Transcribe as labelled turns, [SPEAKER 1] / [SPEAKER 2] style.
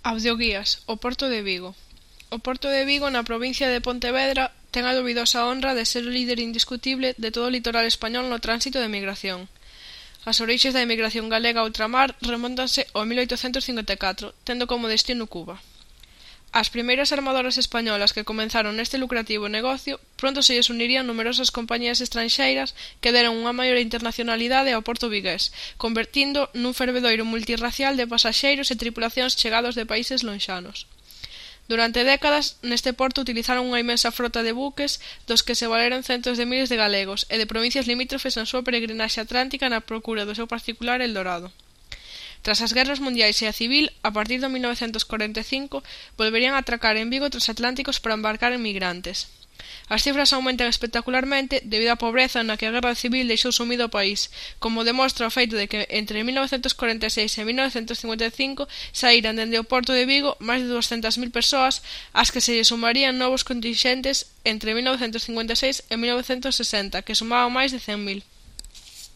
[SPEAKER 1] Audioguías, o Porto de Vigo. O Porto de Vigo, na provincia de Pontevedra, ten a dubidosa honra de ser o líder indiscutible de todo o litoral español no tránsito de migración. As orixes da emigración galega a ultramar remóntanse ao 1854, tendo como destino Cuba. As primeiras armadoras españolas que comenzaron neste lucrativo negocio pronto se lles unirían numerosas compañías estranxeiras que deron unha maior internacionalidade ao porto vigués, convertindo nun fervedoiro multirracial de pasaxeiros e tripulacións chegados de países lonxanos. Durante décadas, neste porto utilizaron unha imensa frota de buques dos que se valeron centos de miles de galegos e de provincias limítrofes na súa peregrinaxe atlántica na procura do seu particular Eldorado. Tras as guerras mundiais e a civil, a partir de 1945, volverían a atracar en Vigo transatlánticos para embarcar emigrantes. As cifras aumentan espectacularmente debido á pobreza na que a guerra civil deixou sumido o país, como demostra o feito de que entre 1946 e 1955 saíran dende o porto de Vigo máis de 200.000 persoas, ás que se lle sumarían novos contingentes entre 1956 e 1960, que sumaban máis de 100.000.